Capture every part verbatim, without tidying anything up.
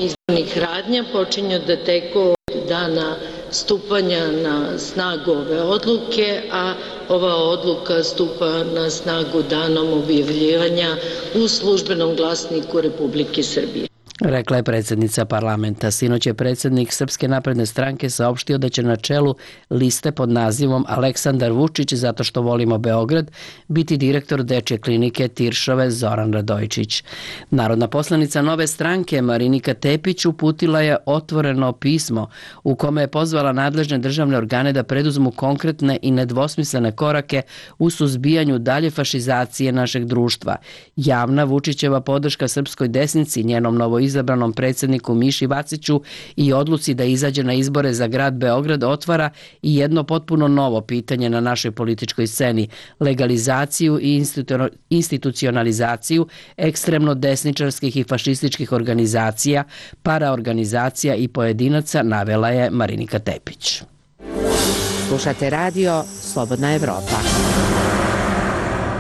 izbornih radnja počinju da teku od dana stupanja na snagu ove odluke, a ova odluka stupa na snagu danom objavljivanja u Službenom glasniku Republike Srbije. Rekla je predsjednica parlamenta. Sinoć je predsjednik Srpske napredne stranke saopštio da će na čelu liste pod nazivom Aleksandar Vučić zato što volimo Beograd biti direktor dečje klinike Tiršove Zoran Radojičić. Narodna poslanica Nove stranke Marinika Tepić uputila je otvoreno pismo u kome je pozvala nadležne državne organe da preduzmu konkretne i nedvosmislene korake u suzbijanju dalje fašizacije našeg društva. Javna Vučićeva podrška srpskoj desnici, njenom novo izabranom predsjedniku Miši Vaciću i odluci da izađe na izbore za grad Beograd otvara i jedno potpuno novo pitanje na našoj političkoj sceni, legalizaciju i institucionalizaciju ekstremno desničarskih i fašističkih organizacija, paraorganizacija i pojedinaca, navela je Marinika Tepić. Slušate radio Slobodna Evropa.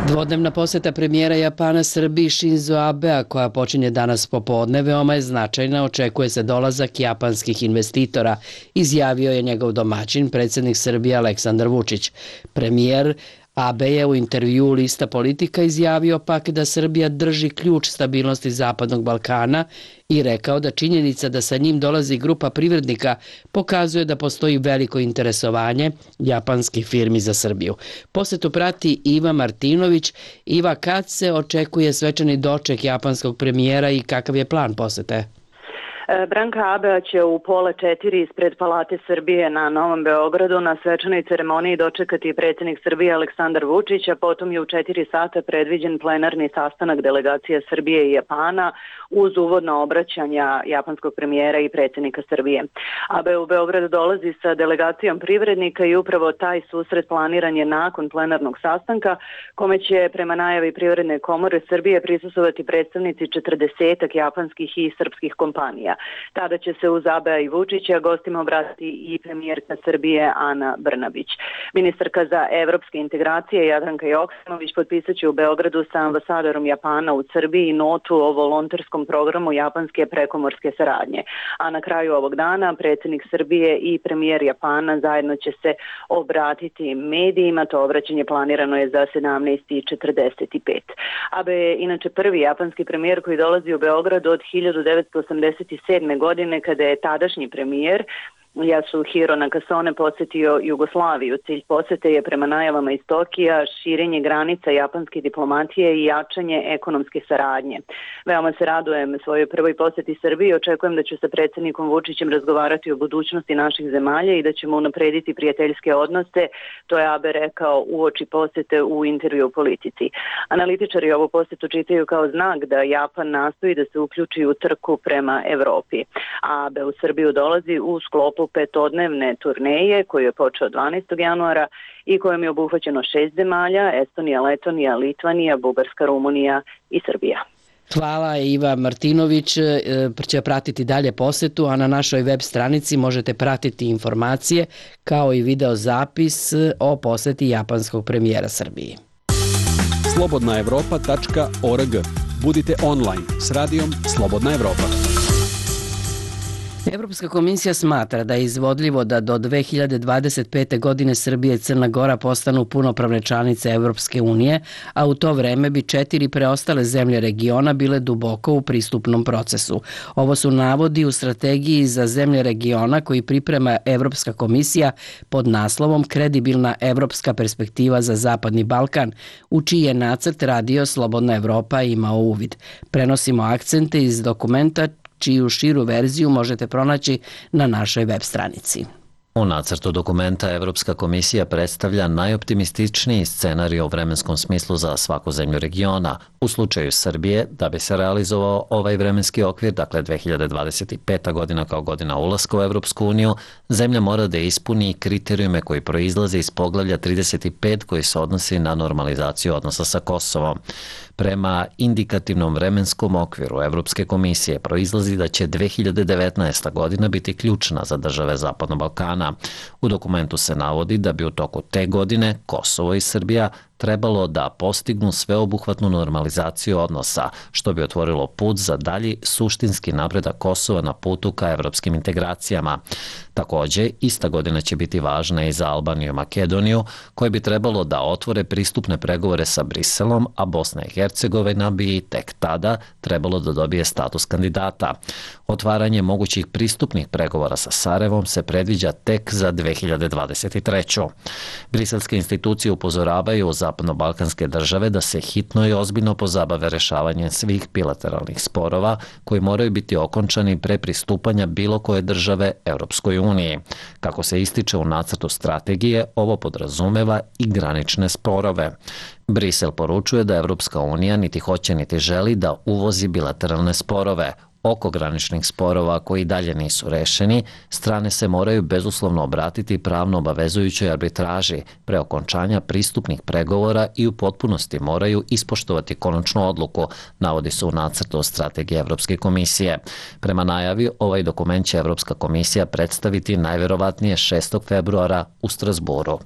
Dvodnevna poseta premijera Japana Srbiji Shinzo Abea, koja počinje danas popodne, veoma je značajna. Očekuje se dolazak japanskih investitora, izjavio je njegov domaćin, predsjednik Srbije Aleksandar Vučić. Premijer Abe je u intervjuu Lista Politika izjavio pak da Srbija drži ključ stabilnosti Zapadnog Balkana i rekao da činjenica da sa njim dolazi grupa privrednika pokazuje da postoji veliko interesovanje japanskih firmi za Srbiju. Posetu prati Iva Martinović. Iva, kad se očekuje svečani doček japanskog premijera i kakav je plan posete? Branka Abea će u pola četiri ispred Palate Srbije na Novom Beogradu na svečanoj ceremoniji dočekati predsjednik Srbije Aleksandar Vučić, a potom je u četiri sata predviđen plenarni sastanak delegacija Srbije i Japana uz uvodno obraćanja japanskog premijera i predsjednika Srbije. Abea u Beograd dolazi sa delegacijom privrednika i upravo taj susret planiran je nakon plenarnog sastanka, kome će prema najavi Privredne komore Srbije prisustvovati predstavnici četrdesetak japanskih i srpskih kompanija. Tada će se uz Abea i Vučića gostima obratiti i premijerka Srbije Ana Brnabić. Ministarka za evropske integracije Jadranka Joksimović potpisat će u Beogradu sa ambasadorom Japana u Srbiji notu o volonterskom programu japanske prekomorske saradnje. A na kraju ovog dana predsjednik Srbije i premijer Japana zajedno će se obratiti medijima. To obraćanje planirano je za sedamnaest i četrdeset pet. Abe je inače prvi japanski premijer koji dolazi u Beograd od hiljadu devetsto osamdeset sedme godine, kada je tadašnji premijer Yasuhiro Nakasone posjetio Jugoslaviju. Cilj posjete je prema najavama iz Tokija širenje granica japanske diplomatije i jačanje ekonomske saradnje. Veoma se radujem svojoj prvoj posjeti Srbiji i očekujem da ću sa predsjednikom Vučićem razgovarati o budućnosti naših zemalja i da ćemo unaprediti prijateljske odnose, to je Abe rekao uoči posjete u intervju u Politici. Analitičari ovu posjetu čitaju kao znak da Japan nastoji da se uključi u trku prema Evropi. Abe u Srbiju dolazi u sklopu petodnevne turneje koju je počeo dvanaestog januara i kojom je obuhvaćeno šest zemalja: Estonija, Letonija, Litvanija, Bugarska, Rumunija i Srbija. Hvala. Iva Martinović će pratiti dalje posetu, a na našoj web stranici možete pratiti informacije kao i video zapis o poseti japanskog premijera Srbiji. slobodna evropa tačka org. Budite online s radijom Slobodna Evropa. Evropska komisija smatra da je izvodljivo da do dve hiljade dvadeset pete. godine Srbija i Crna Gora postanu punopravne članice Evropske unije, a u to vreme bi četiri preostale zemlje regiona bile duboko u pristupnom procesu. Ovo su navodi u strategiji za zemlje regiona koji priprema Evropska komisija pod naslovom Kredibilna evropska perspektiva za Zapadni Balkan, u čiji je nacrt radio Slobodna Evropa imao uvid. Prenosimo akcente iz dokumenta čiju širu verziju možete pronaći na našoj web stranici. U nacrtu dokumenta Evropska komisija predstavlja najoptimističniji scenarij u vremenskom smislu za svaku zemlju regiona. U slučaju Srbije, da bi se realizovao ovaj vremenski okvir, dakle dve hiljade dvadeset peta. godina kao godina ulaska u Evropsku uniju, zemlja mora da ispuni kriterijume koji proizlaze iz poglavlja trideset pet koji se odnosi na normalizaciju odnosa sa Kosovom. Prema indikativnom vremenskom okviru Evropske komisije proizlazi da će dve hiljade devetnaesta. godina biti ključna za države Zapadnog Balkana. U dokumentu se navodi da bi u toku te godine Kosovo i Srbija trebalo da postignu sveobuhvatnu normalizaciju odnosa, što bi otvorilo put za dalji suštinski napredak Kosova na putu ka evropskim integracijama. Takođe, ista godina će biti važna i za Albaniju i Makedoniju, koje bi trebalo da otvore pristupne pregovore sa Briselom, a Bosna i Hercegovina bi tek tada trebalo da dobije status kandidata. Otvaranje mogućih pristupnih pregovora sa Sarajevom se predviđa tek za dve hiljade dvadeset treću. Briselske institucije upozoravaju zapadno-balkanske države da se hitno i ozbiljno pozabave rešavanjem svih bilateralnih sporova koji moraju biti okončani pre pristupanja bilo koje države Evropskoj uniji. Kako se ističe u nacrtu strategije, ovo podrazumeva i granične sporove. Brisel poručuje da Evropska unija niti hoće niti želi da uvozi bilateralne sporove. Oko graničnih sporova koji dalje nisu rešeni, strane se moraju bezuslovno obratiti pravno obavezujućoj arbitraži pre okončanja pristupnih pregovora i u potpunosti moraju ispoštovati konačnu odluku, navodi se u nacrtu strategije Evropske komisije. Prema najavi, ovaj dokument će Evropska komisija predstaviti najverovatnije šestog februara u Strasburu.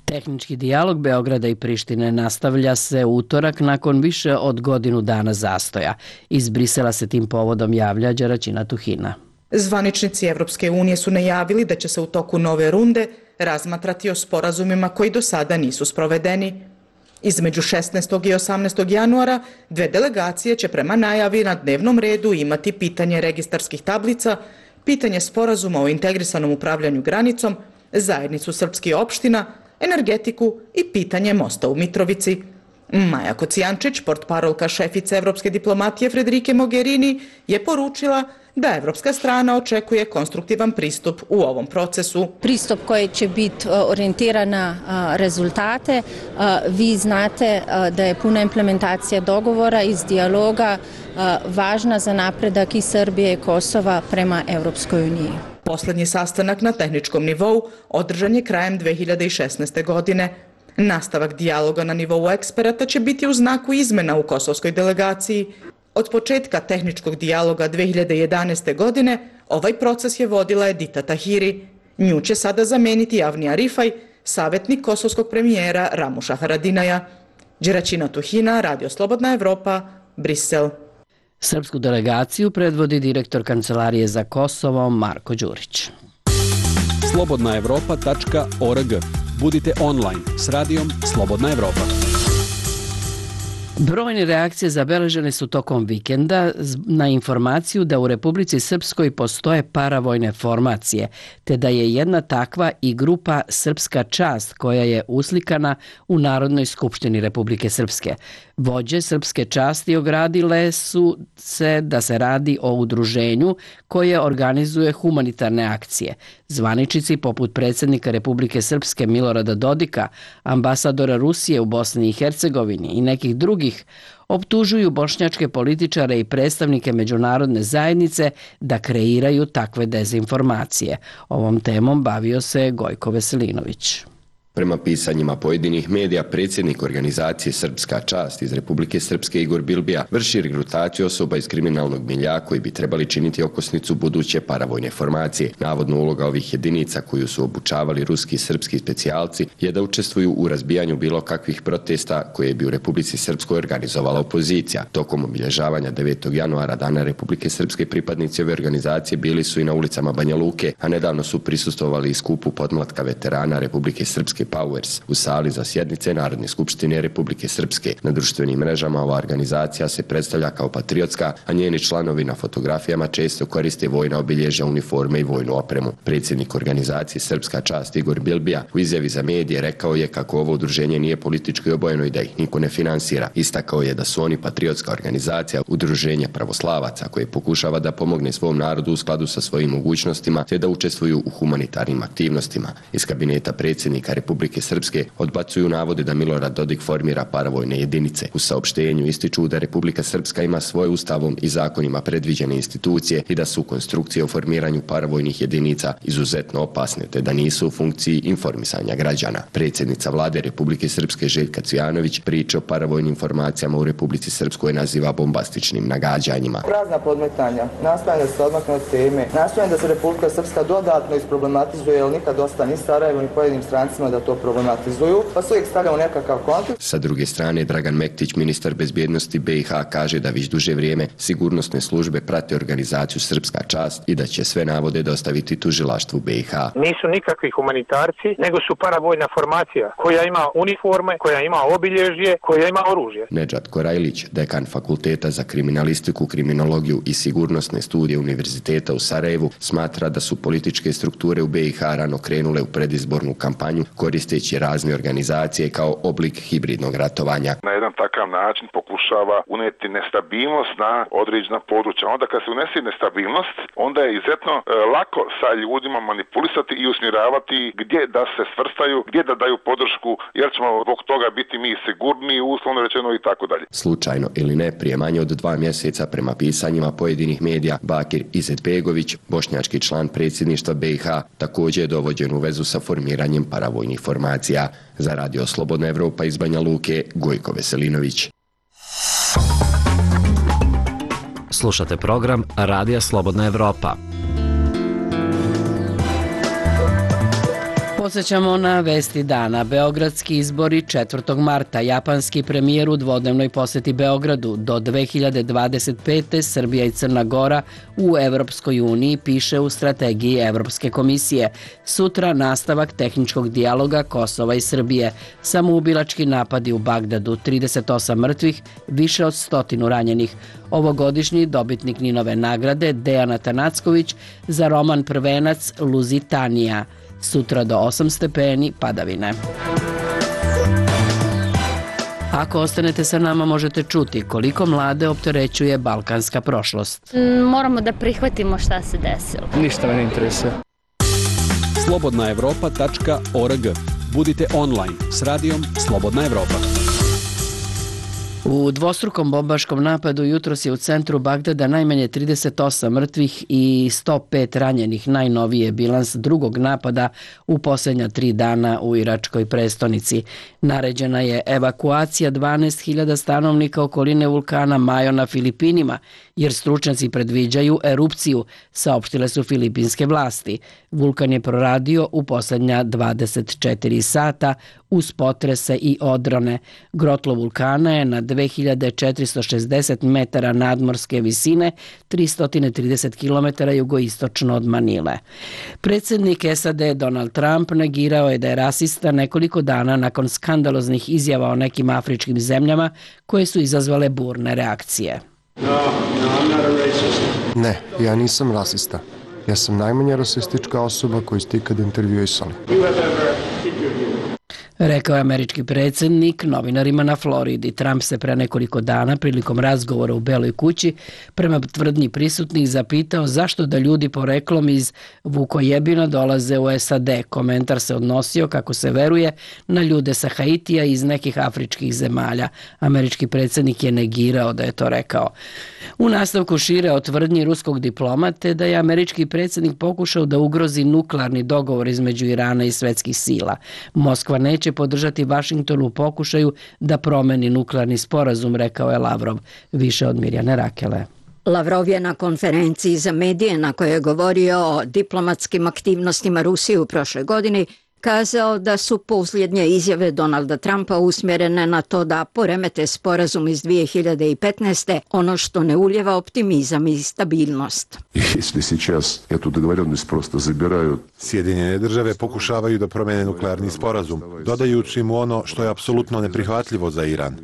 Tehnički dijalog Beograda i Prištine nastavlja se u utorak nakon više od godinu dana zastoja. Iz Brisela se tim povodom javlja Đeraćina Tuhina. Zvaničnici Evropske unije su najavili da će se u toku nove runde razmatrati o sporazumima koji do sada nisu sprovedeni. Između šesnaestog i osamnaestog januara dve delegacije će prema najavi na dnevnom redu imati pitanje registarskih tablica, pitanje sporazuma o integrisanom upravljanju granicom, zajednicu srpskih opština, energetiku i pitanje mosta u Mitrovici. Maja Kocijančić, portparolka šefice evropske diplomatije Frederike Mogherini, je poručila da evropska strana očekuje konstruktivan pristup u ovom procesu. Pristup koji će biti orijentiran na rezultate. Vi znate da je puna implementacija dogovora iz dijaloga važna za napredak i Srbije i Kosova prema Evropskoj uniji. Poslednji sastanak na tehničkom nivou održan je krajem dve hiljade šesnaeste. godine. Nastavak dijaloga na nivou eksperata će biti u znaku izmena u kosovskoj delegaciji. Od početka tehničkog dijaloga dve hiljade jedanaeste. godine ovaj proces je vodila Edita Tahiri. Nju će sada zameniti Avnija Rifaj, savjetnik kosovskog premijera Ramuša Haradinaja. Đeraćina Tuhina, Radio Slobodna Evropa, Brisel. Srpsku delegaciju predvodi direktor Kancelarije za Kosovo Marko Đurić. slobodna evropa tačka org. Budite online s radijom Slobodna Evropa. Brojne reakcije zabeležene su tokom vikenda na informaciju da u Republici Srpskoj postoje paravojne formacije, te da je jedna takva i grupa Srpska čast koja je uslikana u Narodnoj skupštini Republike Srpske. Vođe Srpske časti ogradile su se da se radi o udruženju koje organizuje humanitarne akcije. Zvaničici poput predsjednika Republike Srpske Milorada Dodika, ambasadora Rusije u Bosni i Hercegovini i nekih drugih optužuju bošnjačke političare i predstavnike međunarodne zajednice da kreiraju takve dezinformacije. Ovom temom bavio se Gojko Veselinović. Prema pisanjima pojedinih medija, predsjednik organizacije Srpska čast iz Republike Srpske Igor Bilbija vrši regrutaciju osoba iz kriminalnog milja koji bi trebali činiti okosnicu buduće paravojne formacije. Navodno uloga ovih jedinica koju su obučavali ruski i srpski specijalci je da učestvuju u razbijanju bilo kakvih protesta koje bi u Republici Srpskoj organizovala opozicija. Tokom obilježavanja devetog januara Dana Republike Srpske pripadnici ove organizacije bili su i na ulicama Banja Luke, a nedavno su prisustvovali i skupu podmlatka veterana Republike Srpske Powers u sali za sjednice Narodne skupštine Republike Srpske. Na društvenim mrežama ova organizacija se predstavlja kao patriotska, a njeni članovi na fotografijama često koriste vojna obilježja, uniforme i vojnu opremu. Predsjednik organizacije Srpska čast Igor Bilbija u izjavi za medije rekao je kako ovo udruženje nije politički obojeno i da ih niko ne finansira. Istakao je da su oni patriotska organizacija, udruženje pravoslavaca koje pokušava da pomogne svom narodu u skladu sa svojim mogućnostima te da učestvuju u humanitarnim aktivnostima. Iz kabineta predsjednika Republike Srpske odbacuju navode da Milorad Dodik formira paravojne jedinice. U saopštenju ističu da Republika Srpska ima svoje ustavom i zakonima predviđene institucije i da su konstrukcije o formiranju paravojnih jedinica izuzetno opasne te da nisu u funkciji informisanja građana. Predsjednica vlade Republike Srpske Željka Cvijanović priče o paravojnim formacijama u Republici Srpskoj naziva bombastičnim nagađanjima. Prazna podmetanja, nastojanje da se odmakne od teme, nastojanje da se Republika Srpska dodatno isproblematizuje, jer nikad dosta ni Sarajevo ni pojedinim strancima da da to problematizuju, pa se uvijek stavljamo nekakav kontekst. Sa druge strane, Dragan Mektić, ministar bezbjednosti B i H, kaže da već duže vrijeme sigurnosne službe prate organizaciju Srpska čast i da će sve navode dostaviti tužilaštvu B i H. Nisu nikakvi humanitarci, nego su paravojna formacija koja ima uniforme, koja ima obilježje, koja ima oružje. Nedžad Korajlić, dekan Fakulteta za kriminalistiku, kriminologiju i sigurnosne studije Univerziteta u Sarajevu, smatra da su političke strukture u B i H rano krenule u predizbornu kampanju koristeći razne organizacije kao oblik hibridnog ratovanja. Na jedan takav način pokušava uneti nestabilnost na određena područja. Onda kad se unese nestabilnost, onda je izuzetno e, lako sa ljudima manipulisati i usmjeravati gdje da se svrstaju, gdje da daju podršku, jer ćemo zbog toga biti mi sigurniji, uslovno rečeno i tako dalje. Slučajno ili ne, prije manje od dva mjeseca prema pisanjima pojedinih medija, Bakir Izetbegović, bošnjački član predsjedništva B i H, također je dovođen u vezu sa formiranjem paravojnih formacija. Za Radio Slobodna Evropa iz Banja Luke, Gojko Veselinović. Slušate program Radija Slobodna Evropa. Podsjećamo na vesti dana. Beogradski izbori četvrtog marta. Japanski premijer u dvodnevnoj posjeti Beogradu. Do dve hiljade dvadeset pete. Srbija i Crna Gora u Evropskoj uniji, piše u strategiji Evropske komisije. Sutra nastavak tehničkog dijaloga Kosova i Srbije. Samoubilački napadi u Bagdadu. trideset osam mrtvih, više od stotinu ranjenih. Ovogodišnji dobitnik Ninove nagrade Dejan Atanacković za roman Prvenac Luzitanija. Sutra do osam stepeni padavine. Ako ostanete sa nama, možete čuti koliko mlade opterećuje balkanska prošlost. Moramo da prihvatimo šta se desilo. Ništa me ne interesuje. slobodna evropa tačka org. Budite online s radijom Slobodna Evropa. U dvostrukom bombaškom napadu jutros je u centru Bagdada najmanje trideset osam mrtvih i sto pet ranjenih. Najnoviji je bilans drugog napada u posljednja tri dana u iračkoj prestonici. Naređena je evakuacija dvanaest hiljada stanovnika okoline vulkana Majo na Filipinima, jer stručnjaci predviđaju erupciju, saopštile su filipinske vlasti. Vulkan je proradio u posljednja dvadeset četiri sata uz potrese i odrone. Grotlo vulkana je na dve hiljade četiristo šezdeset metara nadmorske visine, tristo trideset kilometara jugoistočno od Manile. Predsjednik S A D Donald Trump negirao je da je rasista nekoliko dana nakon skandaloznih izjava o nekim afričkim zemljama koje su izazvale burne reakcije. Ne, ja nisam rasista. Ja sam najmanje rasistička osoba koju ste ikad intervjuisali. Rekao je američki predsjednik novinarima na Floridi. Trump se pre nekoliko dana prilikom razgovora u Beloj kući prema tvrdnji prisutnih zapitao zašto da ljudi poreklom iz Vukojebina dolaze u S A D. Komentar se odnosio, kako se veruje, na ljude sa Haitija iz nekih afričkih zemalja. Američki predsjednik je negirao da je to rekao. U nastavku šire o tvrdnji ruskog diplomate da je američki predsjednik pokušao da ugrozi nuklearni dogovor između Irana i svetskih sila. Moskva neće podržati Vašington u pokušaju da promeni nuklearni sporazum, rekao je Lavrov. Više od Mirjane Rakele. Lavrov je na konferenciji za medije na kojoj je govorio o diplomatskim aktivnostima Rusije u prošloj godini kazao da su posljednje izjave Donalda Trumpa usmjerene na to da poremete sporazum iz dvije hiljade petnaeste, ono što ne uljeva optimizam i stabilnost. Sjedinjene države pokušavaju da promene nuklearni sporazum, dodajući mu ono što je apsolutno neprihvatljivo za Iran.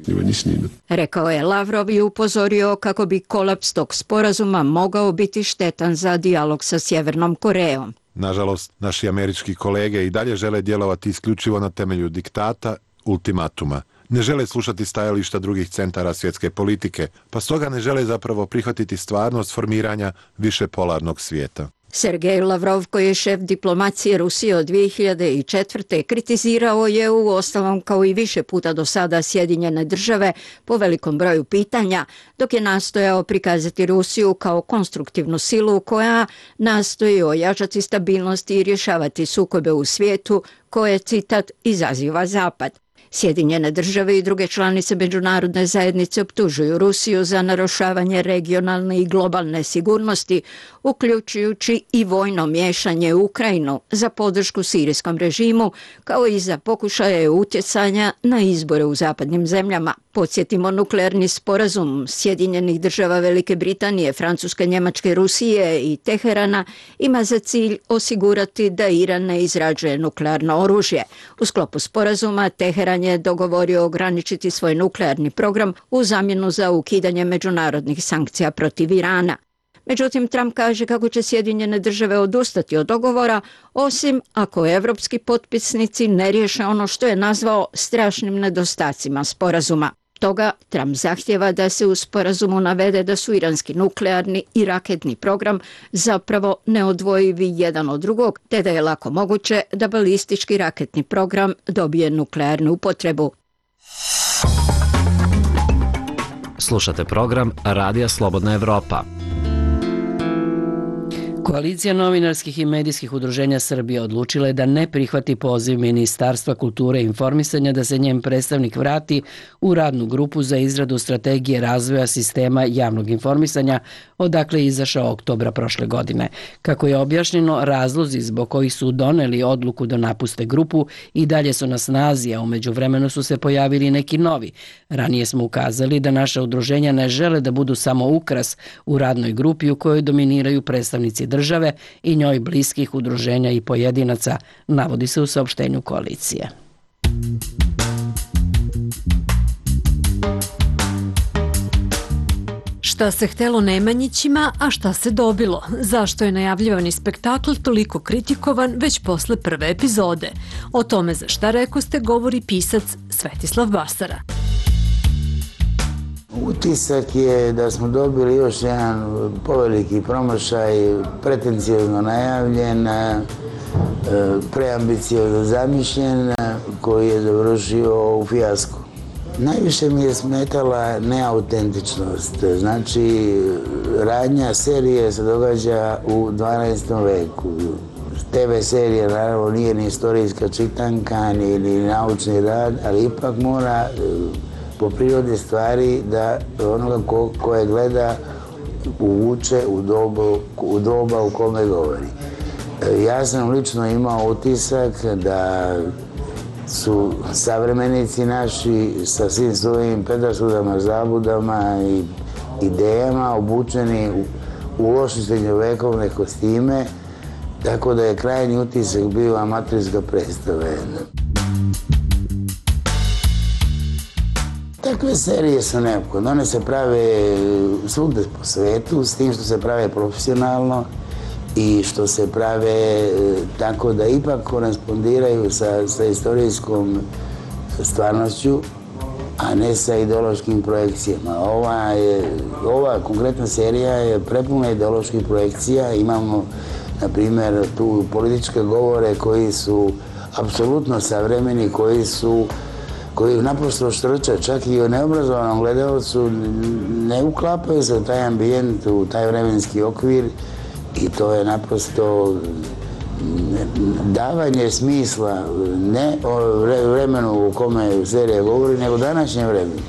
Rekao je Lavrov i upozorio kako bi kolaps tog sporazuma mogao biti štetan za dijalog sa Sjevernom Korejom. Nažalost, naši američki kolege i dalje žele djelovati isključivo na temelju diktata, ultimatuma. Ne žele slušati stajališta drugih centara svjetske politike, pa stoga ne žele zapravo prihvatiti stvarnost formiranja višepolarnog svijeta. Sergej Lavrov, koji je šef diplomacije Rusije od dvije hiljade četvrte. kritizirao je u ostalom kao i više puta do sada Sjedinjene države po velikom broju pitanja, dok je nastojao prikazati Rusiju kao konstruktivnu silu koja nastoji ojačati stabilnost i rješavati sukobe u svijetu koje, citat, izaziva Zapad. Sjedinjene države i druge članice međunarodne zajednice optužuju Rusiju za narušavanje regionalne i globalne sigurnosti, uključujući i vojno miješanje u Ukrajinu za podršku sirijskom režimu, kao i za pokušaje utjecanja na izbore u zapadnim zemljama. Podsjetimo, nuklearni sporazum Sjedinjenih država Velike Britanije, Francuske, Njemačke, Rusije i Teherana ima za cilj osigurati da Iran ne izrađuje nuklearno oružje. U sklopu sporazuma Teheran je dogovorio ograničiti svoj nuklearni program u zamjenu za ukidanje međunarodnih sankcija protiv Irana. Međutim, Trump kaže kako će Sjedinjene države odustati od dogovora, osim ako evropski potpisnici ne riješe ono što je nazvao strašnim nedostacima sporazuma. Toga Trump zahtjeva da se u sporazumu navede da su iranski nuklearni i raketni program zapravo neodvojivi jedan od drugog, te da je lako moguće da balistički raketni program dobije nuklearnu upotrebu. Slušate program Radija Slobodna Evropa. Koalicija novinarskih i medijskih udruženja Srbije odlučila je da ne prihvati poziv Ministarstva kulture i informisanja da se njen predstavnik vrati u radnu grupu za izradu strategije razvoja sistema javnog informisanja, odakle je izašao oktobra prošle godine. Kako je objašnjeno, razlozi zbog kojih su doneli odluku da napuste grupu i dalje su na snazi, a u međuvremenu su se pojavili neki novi. Ranije smo ukazali da naša udruženja ne žele da budu samo ukras u radnoj grupi u kojoj dominiraju predstavnici države i njoj bliskih udruženja i pojedinaca, navodi se u saopštenju koalicije. Šta se htelo Nemanjićima, a šta se dobilo? Zašto je najavljivani spektakl toliko kritikovan već posle prve epizode? O tome za Šta rekoste govori pisac Svetislav Basara. Utisak je da smo dobili još jedan poveliki promašaj, pretencijozno najavljen, preambiciozno zamišljen, koji je završio u fijasku. Najviše mi je smetala neautentičnost. Znači, radnja serije se događa u dvanaestom veku. te ve serija naravno nije ni istorijska čitanka, ni, ni naučni rad, ali ipak mora po prirodi stvari da onoga ko, koje gleda uvuče u dobu, u doba u kome govori. Ja sam lično imao utisak da su savremenici naši sa svim svojim predrasudama, zabudama i idejama obučeni u, u loše srednjovekovne kostime, tako da je krajnji utisak bio amaterska predstava. Takve serije su neophodne. One se prave svugde po svetu, s tim što se prave profesionalno i što se prave tako da ipak korespondiraju sa, sa istorijskom stvarnošću, a ne sa ideološkim projekcijama. Ova, je, ova konkretna serija je prepuna ideoloških projekcija. Imamo, na primjer, tu političke govore koji su apsolutno savremeni, koji su koji naprosto štrče, čak i u neobrazovanom gledalcu ne uklapaju se u taj ambijent, u taj vremenski okvir i to je naprosto davanje smisla ne o vremenu u kome serija govori, nego današnjem vremenu.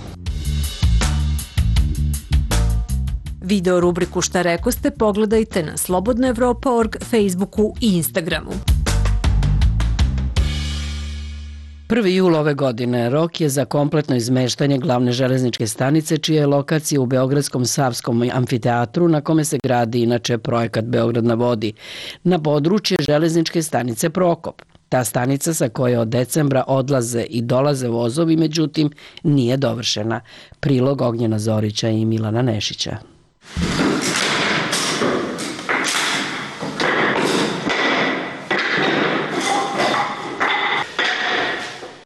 Video rubriku Šta rekoste pogledajte na slobodna evropa tačka org, Facebooku i Instagramu. prvi jul ove godine rok je za kompletno izmeštanje glavne železničke stanice, čija je lokacija u Beogradskom Savskom amfiteatru, na kome se gradi inače projekat Beograd na vodi, na područje železničke stanice Prokop. Ta stanica sa koje od decembra odlaze i dolaze vozovi, međutim, nije dovršena. Prilog Ognjena Zorića i Milana Nešića.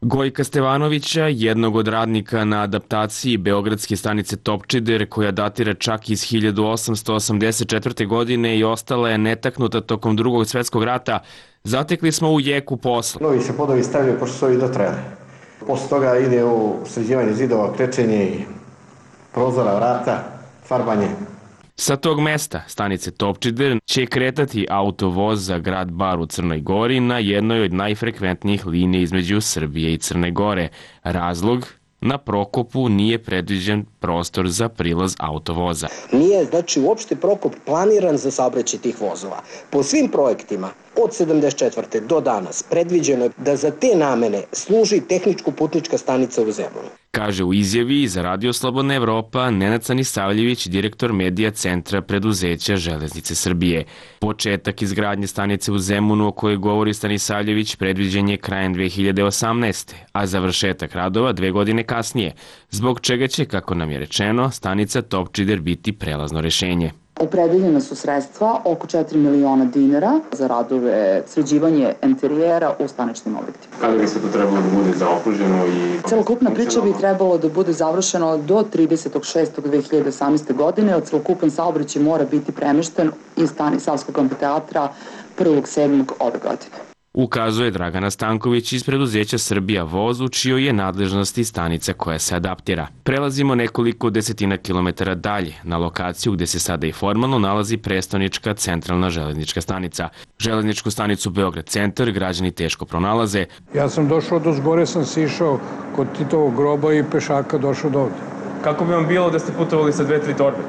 Gojka Stevanovića, jednog od radnika na adaptaciji beogradske stanice Topčider, koja datira čak iz hiljadu osamsto osamdeset četvrte. godine i ostala je netaknuta tokom drugog svjetskog rata, zatekli smo u jeku posla. Novi se podovi stavljaju pošto su ovi dotrajali. Posle toga ide u sređivanje zidova, krečenje prozora, vrata, farbanje. Sa tog mesta, stanice Topčider, će kretati autovoz za grad Bar u Crnoj Gori na jednoj od najfrekventnijih linija između Srbije i Crne Gore. Razlog? Na Prokopu nije predviđen prostor za prilaz autovoza. Nije, znači, uopšte Prokop planiran za saobraćaj tih vozova. Po svim projektima od sedamdeset četvrte do danas predviđeno je da za te namene služi tehničko-putnička stanica u Zemunu. Kaže u izjavi za Radio Slobodna Evropa Nenad Stanisavljević, direktor medija centra preduzeća Železnice Srbije. Početak izgradnje stanice u Zemunu o kojoj govori Stanisavljević predviđen je krajem dve hiljade osamnaeste. a završetak radova dve godine kasnije, zbog čega će, kako nam je rečeno, stanica Topčider biti prelazno rešenje. Opredeljena su sredstva oko četiri miliona dinara za radove sređivanje interijera u staničnim objektima. Kada bi se to trebalo da bude zaokruženo i... Celokupna priča bi trebalo da bude završena do tridesetog šestog dve hiljade osamnaeste. godine, a celokupan saobraćaj mora biti premešten iz stani Savskog amfiteatra prvog sedmog ove godine. Ukazuje Dragana Stanković iz preduzeća Srbija voz, u čijoj je nadležnosti stanica koja se adaptira. Prelazimo nekoliko desetina kilometara dalje, na lokaciju gde se sada i formalno nalazi prestonička centralna železnička stanica. Železničku stanicu Beograd centar građani teško pronalaze. Ja sam došao do zgore, sam si išao kod Titovog groba i pešaka došao do ovde. Kako bi vam bilo da ste putovali sa dve, tri torbe?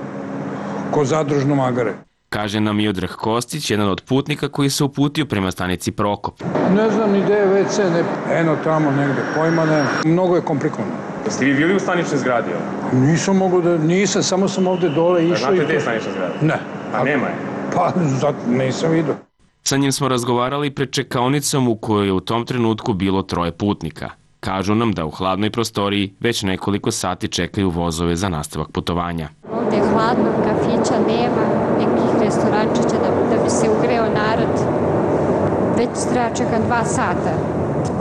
Ko zadružno magare. Kaže nam Miodrag Kostić, jedan od putnika koji se uputio prema stanici Prokop. Ne znam ni gde je ve ce, ne, eno tamo negde, pojma ne, mnogo je komplikovano. Jeste vi bili u staničnoj zgradi? Nisam mogu da, nisam, samo sam ovde dole išao. Znate gde je stanična zgrada? Ne. A nema je? Pa, zato nisam vidio. Sa njim smo razgovarali pred čekaonicom u kojoj je u tom trenutku bilo troje putnika. Kažu nam da u hladnoj prostoriji već nekoliko sati čekaju vozove za nastavak putovanja. Ovde je hladno, kafića nema, nekih restorančića da, da bi se ugreo narod. Već treba čekati dva sata.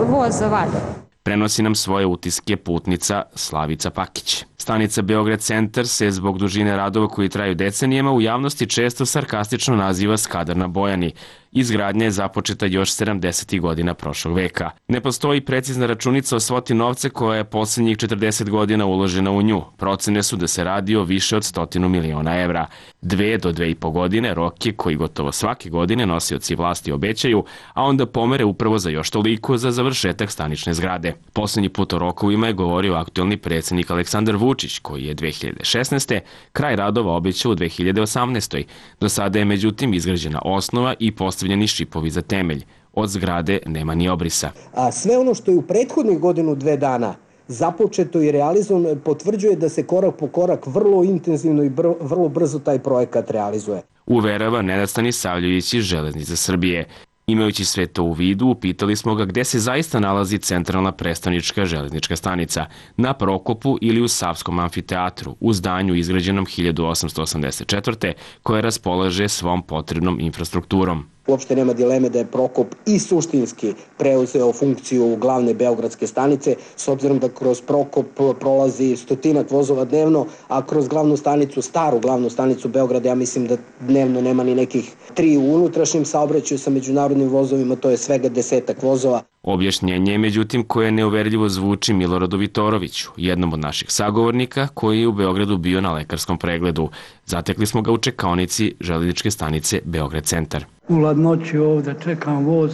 Voz za valje. Prenosi nam svoje utiske putnica Slavica Pakić. Stanica Beograd centar se zbog dužine radova koji traju decenijama u javnosti često sarkastično naziva Skadar na Bojani. Izgradnja je započeta još sedamdesetih godina prošlog veka. Ne postoji precizna računica o svoti novca koja je poslednjih četrdeset godina uložena u nju. Procene su da se radi o više od stotinu miliona evra. Dve do dve i po godine rok je koji gotovo svake godine nosioci vlasti obećaju, a onda pomere upravo za još toliko za završetak stanične zgrade. Poslednji put o rokovima je govorio aktuelni predsjednik Aleksandar Vučić, koji je dve hiljade šesnaeste. kraj radova obećao u dve hiljade osamnaestoj. Do sada je međutim izgrađena osnova i postavljeni šipovi za temelj. Od zgrade nema ni obrisa. A sve ono što je u prethodnih godinu dve dana započeto i realizovano potvrđuje da se korak po korak vrlo intenzivno i br vrlo brzo taj projekat realizuje. Uverava Nenad Stanisavljević iz Železnice Srbije. Imajući sve to u vidu, upitali smo ga gde se zaista nalazi centralna prestonička železnička stanica, na Prokopu ili u Savskom amfiteatru, u zdanju izgrađenom hiljadu osamsto osamdeset četvrte. koje raspolaže svom potrebnom infrastrukturom. Uopšte nema dileme da je Prokop i suštinski preuzeo funkciju glavne beogradske stanice, s obzirom da kroz Prokop prolazi stotinak vozova dnevno, a kroz glavnu stanicu, staru glavnu stanicu Beograda, ja mislim da dnevno nema ni nekih tri u unutrašnjem saobraćaju sa međunarodnim vozovima, to je svega desetak vozova. Objašnjenje je međutim koje neuverljivo zvuči Miloradu Vitoroviću, jednom od naših sagovornika koji je u Beogradu bio na lekarskom pregledu. Zatekli smo ga u čekaonici železničke stanice Beograd centar. U ladnoći ovde čekam voz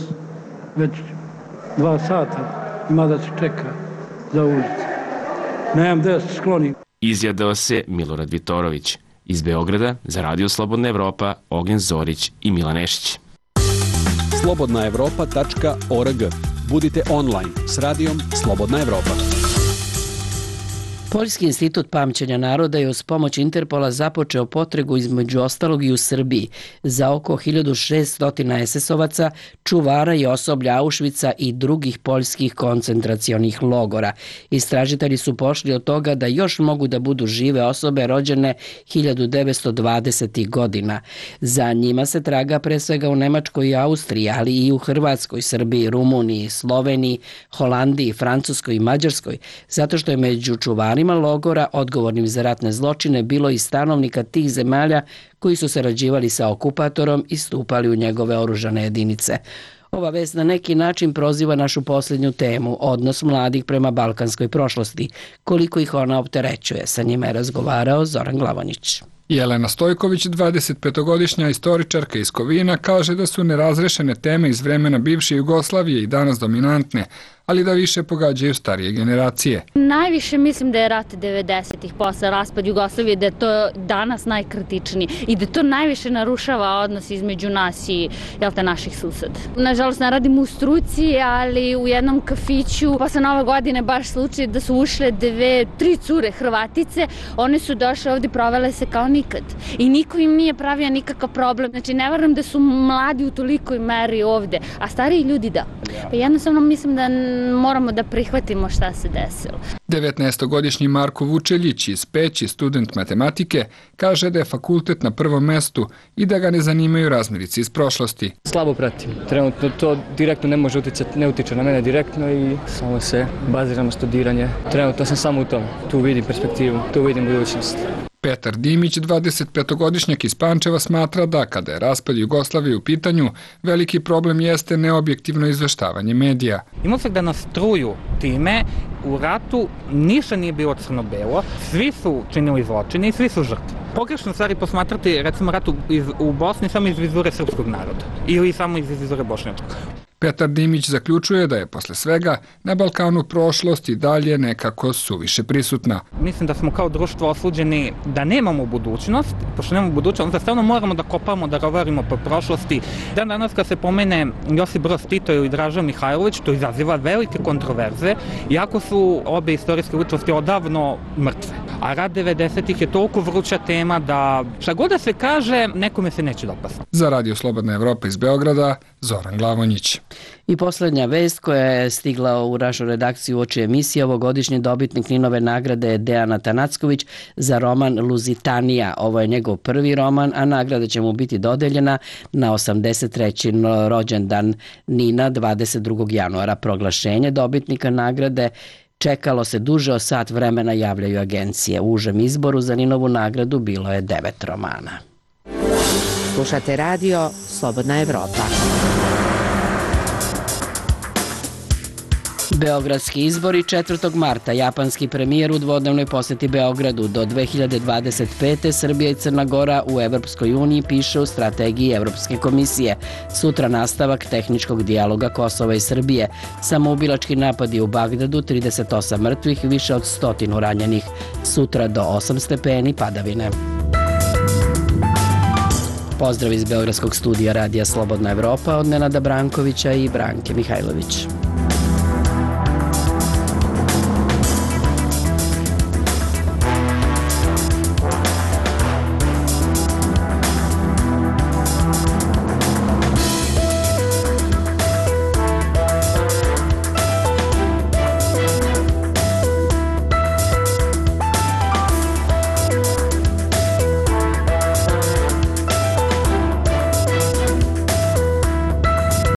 već dva sata, ima da se čeka za ulicu. Nemam gde se sklonim. Izjadao se Milorad Vitorović. Iz Beograda za Radio Slobodna Evropa Ognjen Zorić i Milan Nešić. slobodna evropa tačka org. Budite online s radijom Slobodna Evropa. Poljski institut pamćenja naroda je uz pomoć Interpola započeo potragu između ostalog i u Srbiji za oko hiljadu šesto es es ovaca, čuvara i osoblja Auschwitza i drugih poljskih koncentracionih logora. Istražitelji su pošli od toga da još mogu da budu žive osobe rođene hiljadu devetsto dvadesetih godina. Za njima se traga pre svega u Nemačkoj i Austriji, ali i u Hrvatskoj, Srbiji, Rumuniji, Sloveniji, Holandiji, Francuskoj i Mađarskoj, zato što je među čuvarima logora odgovornim za ratne zločine bilo i stanovnika tih zemalja koji su sarađivali sa okupatorom i stupali u njegove oružane jedinice. Ova vest na neki način proziva našu posljednju temu, odnos mladih prema balkanskoj prošlosti, koliko ih ona opterećuje. Sa njima je razgovarao Zoran Glavonić. Jelena Stojković, dvadesetpetogodišnja istoričarka iz Kovina, kaže da su nerazrešene teme iz vremena bivše Jugoslavije i danas dominantne, ali da više pogađaju starije generacije. Najviše mislim da je rat devedesetih posle raspad Jugoslavije, da je to danas najkritičniji i da to najviše narušava odnos između nas i jel te, naših suseda. Nažalost, ne radim u struci, ali u jednom kafiću posle Nove godine baš slučaj da su ušle dve, tri cure Hrvatice, one su došle ovdje, provele se kao nikad i niko im nije pravio nikakav problem. Znači, ne verujem da su mladi u tolikoj meri ovde, a stariji ljudi da. Pa jednostavno mislim da moramo da prihvatimo šta se desilo. devetnaestogodišnji Marko Vučeljić iz Peći, student matematike, kaže da je fakultet na prvom mestu i da ga ne zanimaju razmirice iz prošlosti. Slabo pratim. Trenutno to direktno ne može uticati, ne utiče na mene direktno i samo se baziram na studiranje. Trenutno sam samo u tom. Tu vidim perspektivu, tu vidim budućnost. Petar Dimić, dvadesetpetogodišnjak iz Pančeva, smatra da kada je raspad Jugoslavije u pitanju, veliki problem jeste neobjektivno izveštavanje medija. Imao se da nas truju time, u ratu ništa nije bilo crno-belo, svi su činili zločine i svi su žrtve. Pogrešno stvari posmatrati, recimo, ratu iz, u Bosni samo iz vizure srpskog naroda ili samo iz vizure bošnjačkog. Petar Dimić zaključuje da je posle svega na Balkanu prošlost i dalje nekako suviše prisutna. Mislim da smo kao društvo osuđeni da nemamo budućnost, pošto nemamo budućnost, onda stavno moramo da kopamo, da rovarimo po prošlosti. Dan danas kad se pomene Josip Broz Tito ili Draža Mihajlović, to izaziva velike kontroverze, iako su obe istorijske ličnosti odavno mrtve. A rat devedesetih je toliko vruća tema da šta god da se kaže, nekome se neće dopasti. Za Radio Slobodna Evropa iz Beograda, Zoran Glavonjić. I posljednja vest koja je stigla u našu redakciju uoči emisije, ovogodišnji dobitnik Ninove nagrade je Dejan Atanacković za roman Luzitanija. Ovo je njegov prvi roman, a nagrada će mu biti dodeljena na osamdeset treći rođendan Nina dvadeset drugog januara. Proglašenje dobitnika nagrade čekalo se duže od sat vremena, javljaju agencije. U užem izboru za Ninovu nagradu bilo je devet romana. Slušate radio Slobodna Evropa. Beogradski izbori četvrtog marta. Japanski premijer u dvodnevnoj posjeti Beogradu. Do dve hiljade dvadeset pete. Srbija i Crna Gora u Evropskoj uniji, piše u strategiji Evropske komisije. Sutra nastavak tehničkog dijaloga Kosova i Srbije. Samoubilački napadi u Bagdadu, trideset osam mrtvih, više od stotinu ranjenih. Sutra do osam stepeni, padavine. Pozdrav iz Beogradskog studija Radija Slobodna Evropa od Nenada Brankovića i Branke Mihajlović.